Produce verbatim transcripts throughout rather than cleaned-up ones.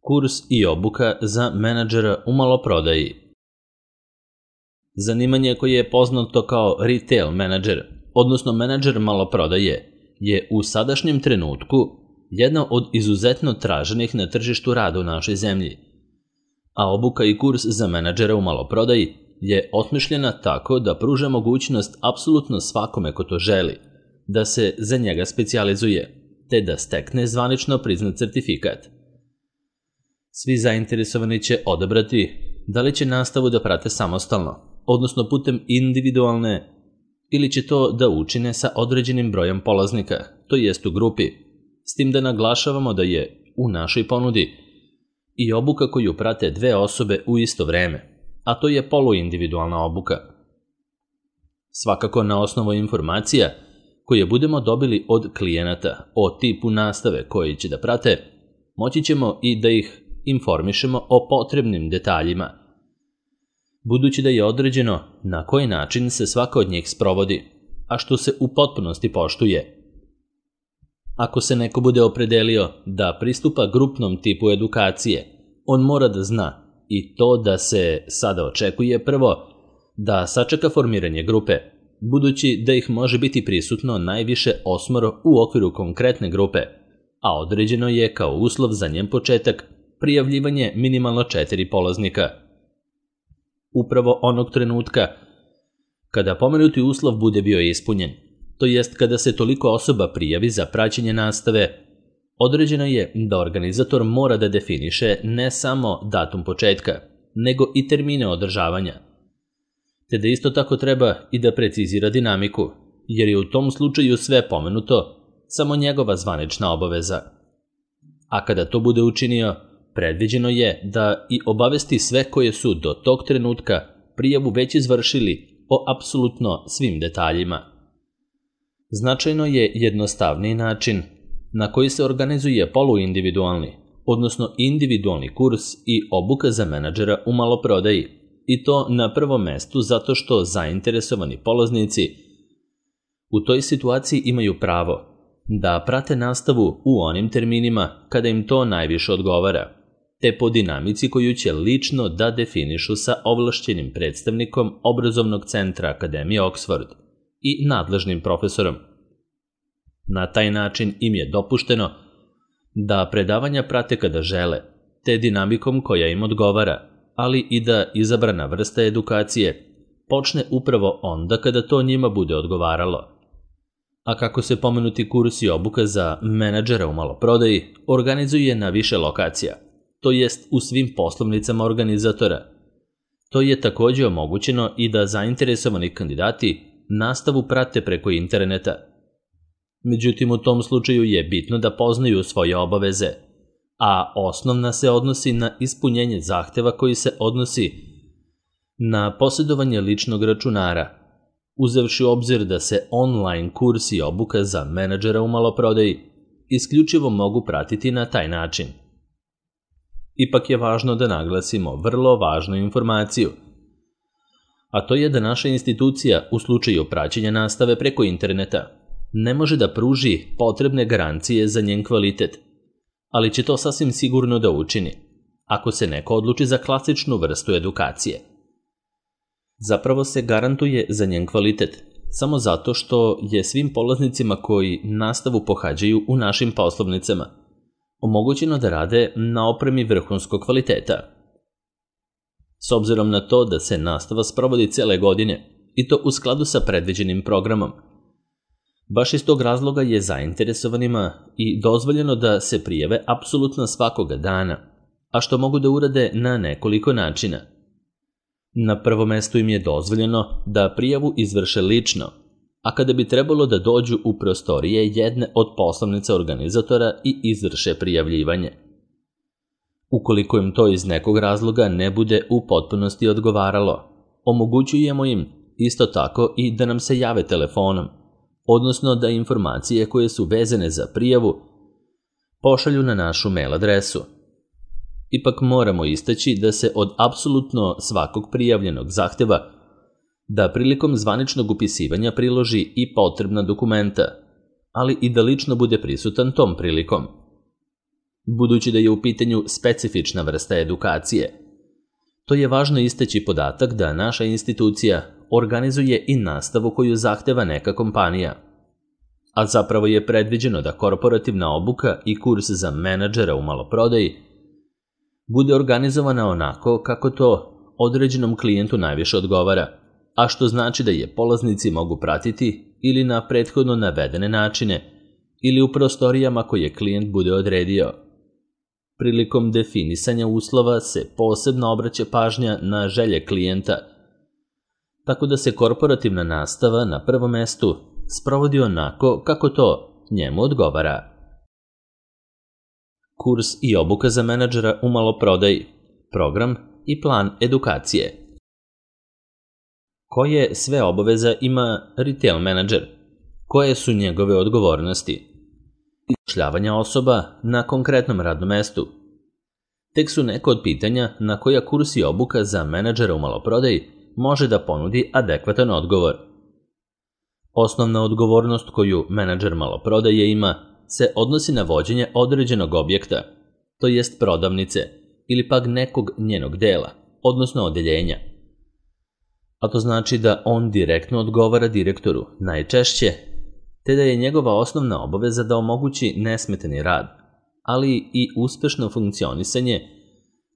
Kurs i obuka za menadžera u maloprodaji. Zanimanje koje je poznato kao retail menadžer, odnosno menadžer maloprodaje, je u sadašnjem trenutku jedno od izuzetno traženih na tržištu rada u našoj zemlji. A obuka i kurs za menadžera u maloprodaji je osmišljena tako da pruža mogućnost apsolutno svakome ko to želi, da se za njega specijalizuje, te da stekne zvanično priznat certifikat. Svi zainteresovani će odabrati da li će nastavu da prate samostalno, odnosno putem individualne, ili će to da učine sa određenim brojem polaznika, to jest u grupi, s tim da naglašavamo da je u našoj ponudi i obuka koju prate dve osobe u isto vreme, a to je poluindividualna obuka. Svakako na osnovu informacija koje budemo dobili od klijenata o tipu nastave koji će da prate, moći ćemo i da ih informišemo o potrebnim detaljima, budući da je određeno na koji način se svaka od njih sprovodi, a što se u potpunosti poštuje. Ako se neko bude opredelio da pristupa grupnom tipu edukacije, on mora da zna i to da se sada očekuje prvo da sačeka formiranje grupe, budući da ih može biti prisutno najviše osmoro u okviru konkretne grupe, a određeno je kao uslov za njen početak prijavljivanje minimalno četiri polaznika. Upravo onog trenutka kada pomenuti uslov bude bio ispunjen, to jest kada se toliko osoba prijavi za praćenje nastave, određeno je da organizator mora da definiše ne samo datum početka, nego i termine održavanja, te da isto tako treba i da precizira dinamiku, jer je u tom slučaju sve pomenuto samo njegova zvanična obaveza. A kada to bude učinio, predviđeno je da i obavesti sve koje su do tog trenutka prijavu već izvršili o apsolutno svim detaljima. Značajno je jednostavniji način na koji se organizuje poluindividualni, odnosno individualni kurs i obuka za menadžera u maloprodaji, i to na prvom mestu zato što zainteresovani polaznici u toj situaciji imaju pravo da prate nastavu u onim terminima kada im to najviše odgovara, te po dinamici koju će lično da definišu sa ovlašćenim predstavnikom obrazovnog centra Akademije Oxford i nadležnim profesorom. Na taj način im je dopušteno da predavanja prate kada žele, te dinamikom koja im odgovara, ali i da izabrana vrsta edukacije počne upravo onda kada to njima bude odgovaralo. A kako se pomenuti kurs i obuka za menadžera u maloprodaji organizuje na više lokacija, to jest u svim poslovnicama organizatora, to je takođe omogućeno i da zainteresovani kandidati nastavu prate preko interneta. Međutim, u tom slučaju je bitno da poznaju svoje obaveze, a osnovna se odnosi na ispunjenje zahteva koji se odnosi na posjedovanje ličnog računara, uzevši u obzir da se online kurs i obuka za menadžera u maloprodaji isključivo mogu pratiti na taj način. Ipak je važno da naglasimo vrlo važnu informaciju, a to je da naša institucija u slučaju praćenja nastave preko interneta ne može da pruži potrebne garancije za njen kvalitet, ali će to sasvim sigurno da učini, ako se neko odluči za klasičnu vrstu edukacije. Zapravo se garantuje za njen kvalitet, samo zato što je svim polaznicima koji nastavu pohađaju u našim poslovnicama omogućeno da rade na opremi vrhunskog kvaliteta. S obzirom na to da se nastava sprovodi cele godine, i to u skladu sa predviđenim programom, baš iz tog razloga je zainteresovanima i dozvoljeno da se prijave apsolutno svakoga dana, a što mogu da urade na nekoliko načina. Na prvom mestu im je dozvoljeno da prijavu izvrše lično, a kada bi trebalo da dođu u prostorije jedne od poslovnica organizatora i izvrše prijavljivanje. Ukoliko im to iz nekog razloga ne bude u potpunosti odgovaralo, omogućujemo im isto tako i da nam se jave telefonom, odnosno da informacije koje su vezane za prijavu pošalju na našu mail adresu. Ipak moramo istaći da se od apsolutno svakog prijavljenog zahteva da prilikom zvaničnog upisivanja priloži i potrebna dokumenta, ali i da lično bude prisutan tom prilikom. budući da je u pitanju specifična vrsta edukacije. To je važno istaći podatak da naša institucija organizuje i nastavu koju zahteva neka kompanija, a zapravo je predviđeno da korporativna obuka i kurs za menadžera u maloprodaji bude organizovana onako kako to određenom klijentu najviše odgovara, a što znači da je polaznici mogu pratiti ili na prethodno navedene načine ili u prostorijama koje klijent bude odredio. Prilikom definisanja uslova se posebno obraća pažnja na želje klijenta, tako da se korporativna nastava na prvom mestu sprovodi onako kako to njemu odgovara. Kurs i obuka za menadžera u maloprodaji, program i plan edukacije. Koje sve obaveza ima retail menadžer? Koje su njegove odgovornosti? Zapošljavanja osoba na konkretnom radnom mestu. Tek su neko od pitanja na koja kurs i obuka za menadžera u maloprodaji može da ponudi adekvatan odgovor. Osnovna odgovornost koju menadžer maloprodaje ima se odnosi na vođenje određenog objekta, to jest prodavnice ili pak nekog njenog dela, odnosno odeljenja. A to znači da on direktno odgovara direktoru, najčešće, te da je njegova osnovna obaveza da omogući nesmetani rad, ali i uspešno funkcionisanje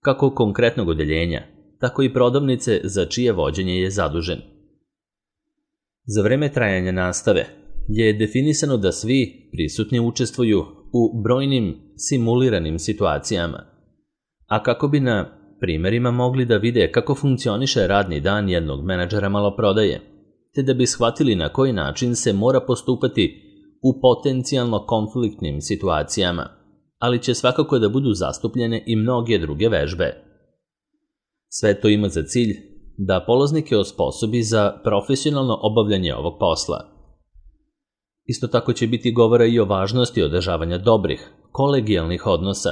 kako konkretnog odeljenja, tako i prodavnice za čije vođenje je zadužen. Za vreme trajanja nastave je definisano da svi prisutni učestvuju u brojnim simuliranim situacijama, a kako bi na primerima mogli da vide kako funkcioniše radni dan jednog menadžera maloprodaje, te da bi shvatili na koji način se mora postupati u potencijalno konfliktnim situacijama, ali će svakako da budu zastupljene i mnoge druge vežbe. Sve to ima za cilj da polaznike osposobi za profesionalno obavljanje ovog posla. Isto tako će biti govora i o važnosti održavanja dobrih, kolegijalnih odnosa,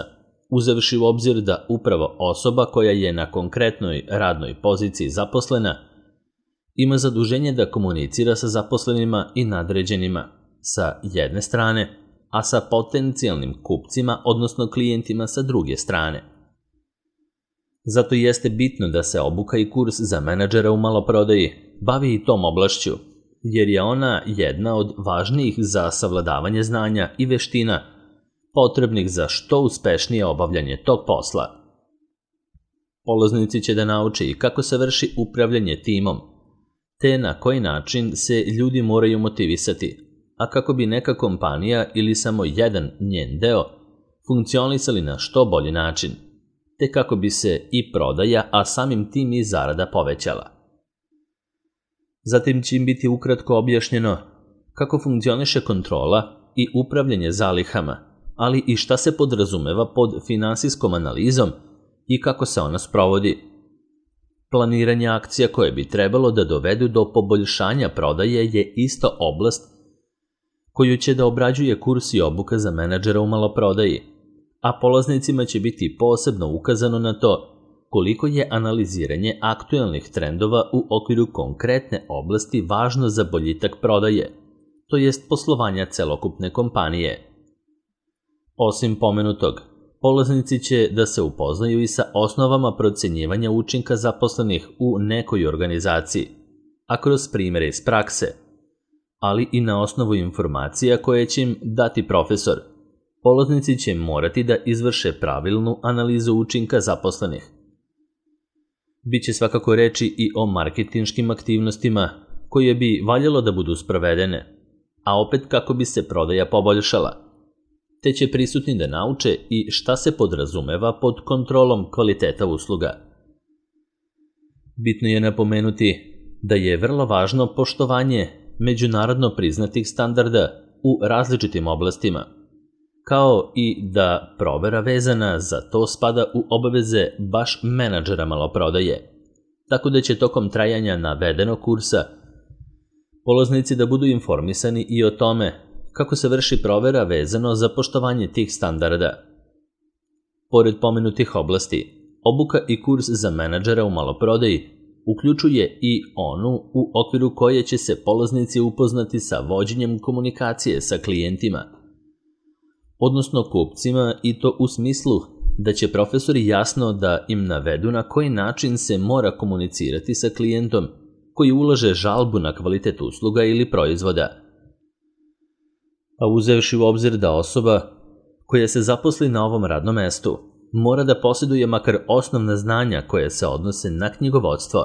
uzevši u obzir da upravo osoba koja je na konkretnoj radnoj poziciji zaposlena ima zaduženje da komunicira sa zaposlenima i nadređenima sa jedne strane, a sa potencijalnim kupcima, odnosno klijentima sa druge strane. Zato jeste bitno da se obuka i kurs za menadžera u maloprodaji bavi i tom oblašću, jer je ona jedna od važnijih za savladavanje znanja i veština potrebnih za što uspešnije obavljanje tog posla. Polaznici će da nauče i kako se vrši upravljanje timom, te na koji način se ljudi moraju motivisati, a kako bi neka kompanija ili samo jedan njen deo funkcionisali na što bolji način, te kako bi se i prodaja, a samim tim i zarada povećala. Zatim će im biti ukratko objašnjeno kako funkcioniše kontrola i upravljanje zalihama, ali i šta se podrazumeva pod finansijskom analizom i kako se ona sprovodi. Planiranje akcija koje bi trebalo da dovedu do poboljšanja prodaje je isto oblast koju će da obrađuje kurs i obuka za menadžera u maloprodaji, a polaznicima će biti posebno ukazano na to koliko je analiziranje aktuelnih trendova u okviru konkretne oblasti važno za boljitak prodaje, to jest poslovanja celokupne kompanije. Osim pomenutog, polaznici će da se upoznaju i sa osnovama procenjivanja učinka zaposlenih u nekoj organizaciji, a kroz primere iz prakse, ali i na osnovu informacija koje će im dati profesor. Polaznici će morati da izvrše pravilnu analizu učinka zaposlenih. Biće svakako reči i o marketinškim aktivnostima koje bi valjalo da budu sprovedene, a opet kako bi se prodaja poboljšala, te će prisutni da nauče i šta se podrazumeva pod kontrolom kvaliteta usluga. Bitno je napomenuti da je vrlo važno poštovanje međunarodno priznatih standarda u različitim oblastima, kao i da provera vezana za to spada u obaveze baš menadžera maloprodaje, tako da će tokom trajanja navedenog kursa polaznici da budu informisani i o tome kako se vrši provera vezano za poštovanje tih standarda. Pored pomenutih oblasti, obuka i kurs za menadžera u maloprodaji uključuje i onu u okviru koje će se polaznici upoznati sa vođenjem komunikacije sa klijentima, odnosno kupcima, i to u smislu da će profesori jasno da im navedu na koji način se mora komunicirati sa klijentom koji ulaže žalbu na kvalitet usluga ili proizvoda. A uzevši u obzir da osoba koja se zaposli na ovom radnom mestu mora da posjeduje makar osnovna znanja koje se odnose na knjigovodstvo,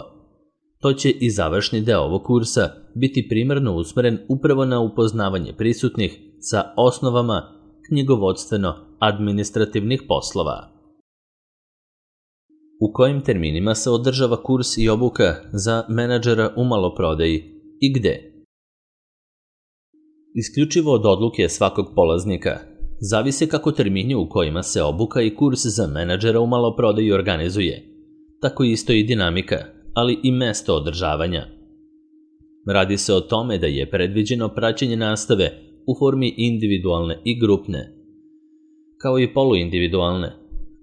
to će i završni deo ovog kursa biti primarno usmeren upravo na upoznavanje prisutnih sa osnovama knjigovodstveno-administrativnih poslova. U kojim terminima se održava kurs i obuka za menadžera u maloprodaji i gde? Isključivo od odluke svakog polaznika zavise kako termini u kojima se obuka i kurs za menadžera u maloprodaji organizuje, tako isto i dinamika, ali i mesto održavanja. Radi se o tome da je predviđeno praćenje nastave u formi individualne i grupne, kao i poluindividualne,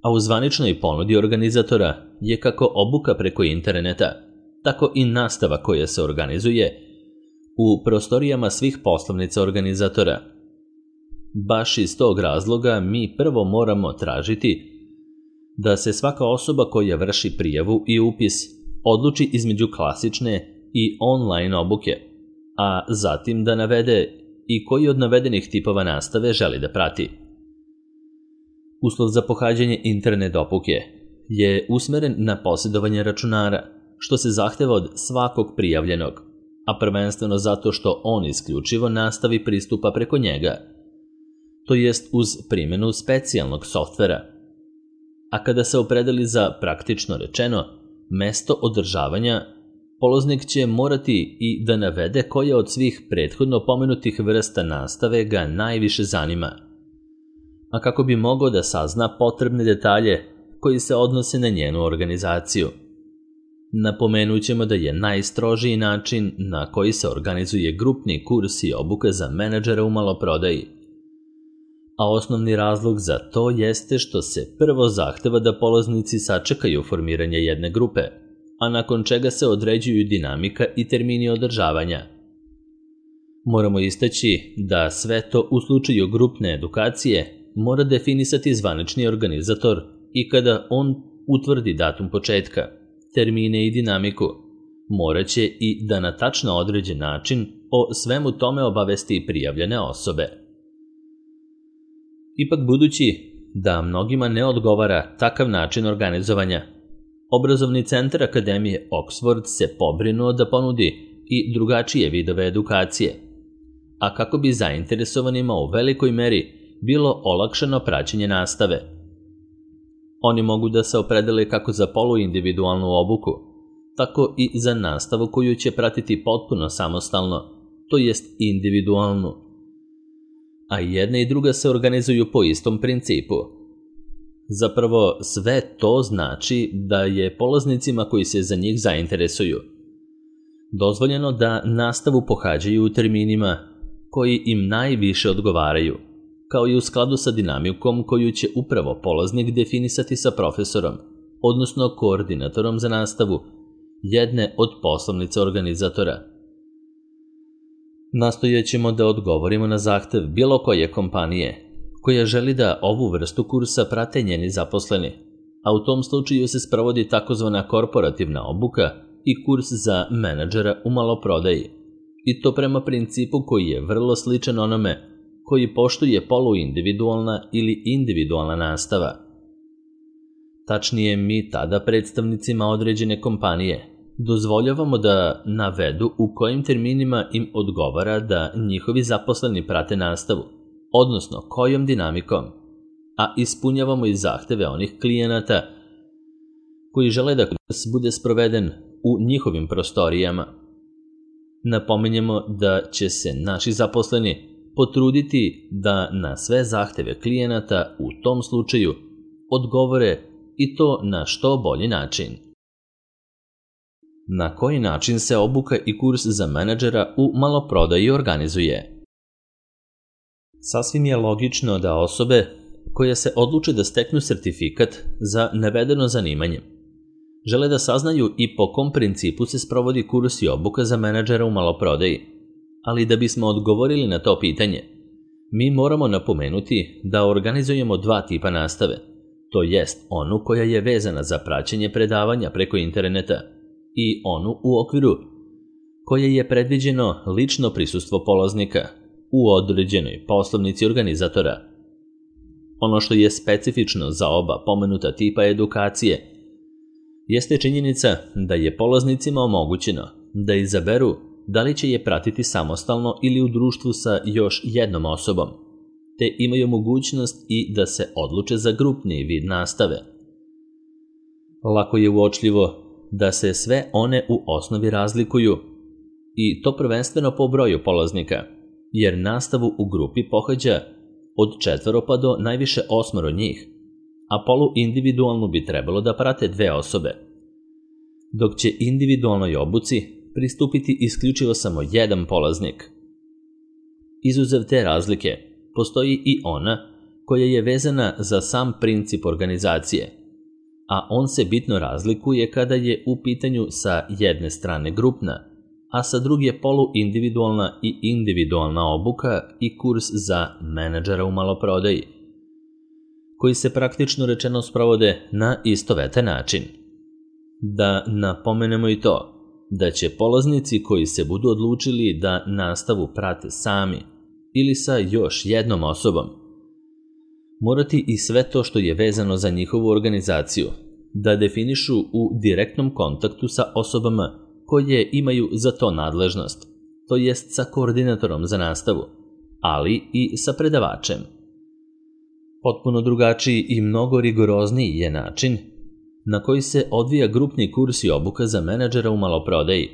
a u zvaničnoj ponudi organizatora je kako obuka preko interneta, tako i nastava koja se organizuje u prostorijama svih poslovnica organizatora. Baš iz tog razloga mi prvo moramo tražiti da se svaka osoba koja vrši prijavu i upis odluči između klasične i online obuke, a zatim da navede i koji od navedenih tipova nastave želi da prati. Uslov za pohađanje internet obuke je usmeren na posjedovanje računara, što se zahteva od svakog prijavljenog, a prvenstveno zato što on isključivo nastavi pristupa preko njega, to jest uz primjenu specijalnog softvera. A kada se opredeli za, praktično rečeno, mesto održavanja, polaznik će morati i da navede koja od svih prethodno pomenutih vrsta nastave ga najviše zanima, a kako bi mogao da sazna potrebne detalje koji se odnose na njenu organizaciju. Napomenut ćemo da je najstrožiji način na koji se organizuje grupni kurs i obuka za menadžera u maloprodaji, a osnovni razlog za to jeste što se prvo zahteva da polaznici sačekaju formiranje jedne grupe, a nakon čega se određuju dinamika i termini održavanja. Moramo istaći da sve to u slučaju grupne edukacije mora definisati zvanični organizator i kada on utvrdi datum početka, termine i dinamiku, moraće i da na tačno određen način o svemu tome obavesti prijavljene osobe. Ipak budući da mnogima ne odgovara takav način organizovanja, Obrazovni centar Akademije Oxford se pobrinuo da ponudi i drugačije vidove edukacije, a kako bi zainteresovanima u velikoj meri bilo olakšano praćenje nastave. Oni mogu da se opredele kako za poluindividualnu obuku, tako i za nastavu koju će pratiti potpuno samostalno, to jest individualnu. A jedna i druga se organizuju po istom principu. Zapravo, sve to znači da je polaznicima koji se za njih zainteresuju dozvoljeno da nastavu pohađaju u terminima koji im najviše odgovaraju, kao i u skladu sa dinamikom koju će upravo polaznik definisati sa profesorom, odnosno koordinatorom za nastavu jedne od poslovnica organizatora. Nastojat ćemo da odgovorimo na zahtev bilo koje kompanije koja želi da ovu vrstu kursa prate njeni zaposleni, a u tom slučaju se sprovodi takozvana korporativna obuka i kurs za menadžera u maloprodaji, i to prema principu koji je vrlo sličan onome koji poštuje poluindividualna ili individualna nastava. Tačnije, mi tada predstavnicima određene kompanije dozvoljavamo da navedu u kojim terminima im odgovara da njihovi zaposleni prate nastavu, odnosno kojom dinamikom, a ispunjavamo i zahteve onih klijenata koji žele da kurs bude sproveden u njihovim prostorijama. Napominjemo da će se naši zaposleni potruditi da na sve zahteve klijenata u tom slučaju odgovore i to na što bolji način. Na koji način se obuka i kurs za menadžera u maloprodaji organizuje? Sasvim je logično da osobe koje se odluče da steknu sertifikat za navedeno zanimanje žele da saznaju i po kom principu se sprovodi kurs i obuka za menadžera u maloprodaji, ali da bismo odgovorili na to pitanje, Mi moramo napomenuti da organizujemo dva tipa nastave, to jest onu koja je vezana za praćenje predavanja preko interneta i onu u okviru koje je predviđeno lično prisustvo polaznika u određenoj poslovnici organizatora. Ono što je specifično za oba pomenuta tipa edukacije jeste činjenica da je polaznicima omogućeno da izaberu da li će je pratiti samostalno ili u društvu sa još jednom osobom, te imaju mogućnost i da se odluče za grupni vid nastave. Lako je uočljivo da se sve one u osnovi razlikuju, i to prvenstveno po broju polaznika, jer nastavu u grupi pohađa od četvoro pa do najviše osmoro njih, a polu individualnu bi trebalo da prate dve osobe, dok će individualnoj obuci pristupiti isključivo samo jedan polaznik. Izuzev te razlike, postoji i ona koja je vezana za sam princip organizacije, a on se bitno razlikuje kada je u pitanju sa jedne strane grupna, a sa druge poluindividualna i individualna obuka i kurs za menadžera u maloprodaji, koji se praktično rečeno sprovode na istovetan način. Da napomenemo i to, da će polaznici koji se budu odlučili da nastavu prate sami ili sa još jednom osobom, morati i sve to što je vezano za njihovu organizaciju da definišu u direktnom kontaktu sa osobama koje imaju za to nadležnost, to jest sa koordinatorom za nastavu, ali i sa predavačem. Potpuno drugačiji i mnogo rigorozniji je način na koji se odvija grupni kurs i obuka za menadžera u maloprodaji,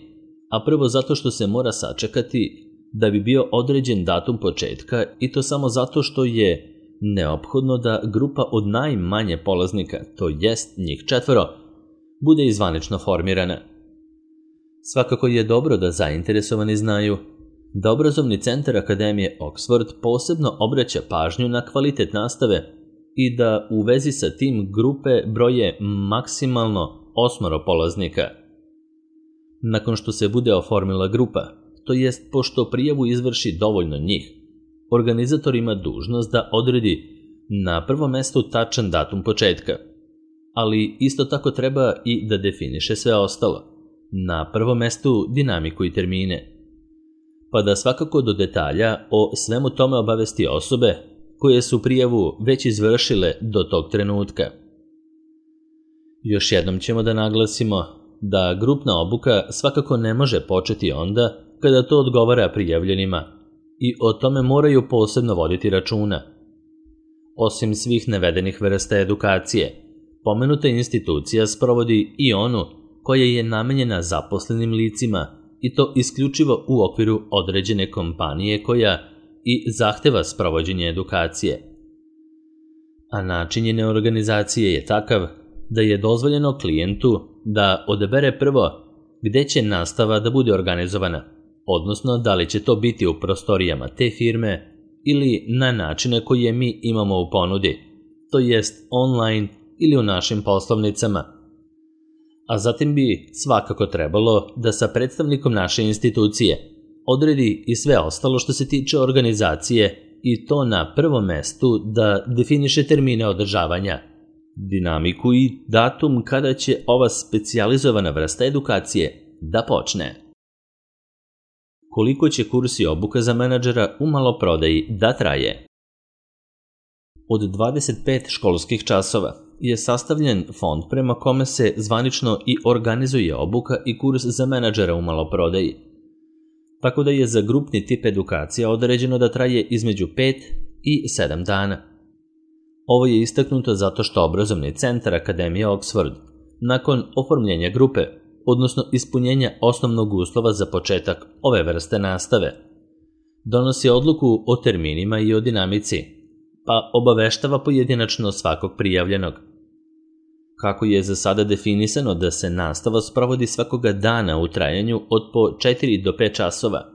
a prvo zato što se mora sačekati da bi bio određen datum početka, i to samo zato što je neophodno da grupa od najmanje polaznika, to jest njih četvoro, bude izvanično formirana. Svakako je dobro da zainteresovani znaju da obrazovni centar Akademije Oxford posebno obraća pažnju na kvalitet nastave i da u vezi sa tim grupe broje maksimalno osmoro polaznika. Nakon što se bude oformila grupa, to jest pošto prijavu izvrši dovoljno njih, organizator ima dužnost da odredi na prvom mestu tačan datum početka, ali isto tako treba i da definiše sve ostalo. Na prvom mestu dinamiku i termine, pa da svakako do detalja o svemu tome obavesti osobe koje su prijavu već izvršile do tog trenutka. Još jednom ćemo da naglasimo da grupna obuka svakako ne može početi onda kada to odgovara prijavljenima i o tome moraju posebno voditi računa. Osim svih navedenih vrsta edukacije, pomenuta institucija sprovodi i onu koja je namenjena zaposlenim licima, i to isključivo u okviru određene kompanije koja i zahteva sprovođenje edukacije. A način njene organizacije je takav da je dozvoljeno klijentu da odabere prvo gde će nastava da bude organizovana, odnosno da li će to biti u prostorijama te firme ili na načine koje mi imamo u ponudi, to jest online ili u našim poslovnicama. A zatim bi svakako trebalo da sa predstavnikom naše institucije odredi i sve ostalo što se tiče organizacije, i to na prvom mestu da definiše termine održavanja, dinamiku i datum kada će ova specijalizovana vrsta edukacije da počne. Koliko će kurs i obuka za menadžera u maloprodaji da traje? Od dvadeset pet školskih časova je sastavljen fond prema kome se zvanično i organizuje obuka i kurs za menadžera u maloprodaji, tako da je za grupni tip edukacija određeno da traje između pet i sedam dana. Ovo je istaknuto zato što obrazovni centar Akademije Oxford, nakon oformljenja grupe, odnosno ispunjenja osnovnog uslova za početak ove vrste nastave, donosi odluku o terminima i o dinamici, pa obaveštava pojedinačno svakog prijavljenog. Kako je za sada definisano da se nastava sprovodi svakoga dana u trajanju od po četiri do pet časova,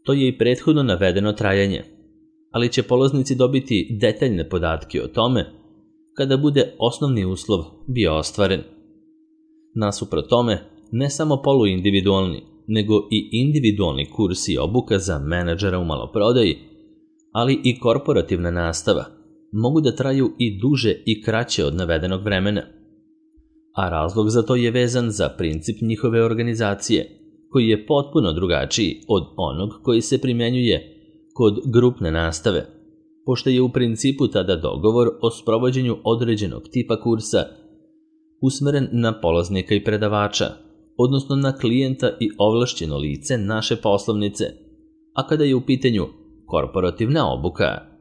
to je i prethodno navedeno trajanje, ali će polaznici dobiti detaljne podatke o tome kada bude osnovni uslov bio ostvaren. Nasuprot tome, ne samo poluindividualni, nego i individualni kurs i obuka za menadžera u maloprodaji, ali i korporativna nastava mogu da traju i duže i kraće od navedenog vremena. A razlog za to je vezan za princip njihove organizacije, koji je potpuno drugačiji od onog koji se primjenjuje kod grupne nastave, pošto je u principu tada dogovor o sprovođenju određenog tipa kursa usmeren na polaznika i predavača, odnosno na klijenta i ovlašćeno lice naše poslovnice, a kada je u pitanju korporativna obuka,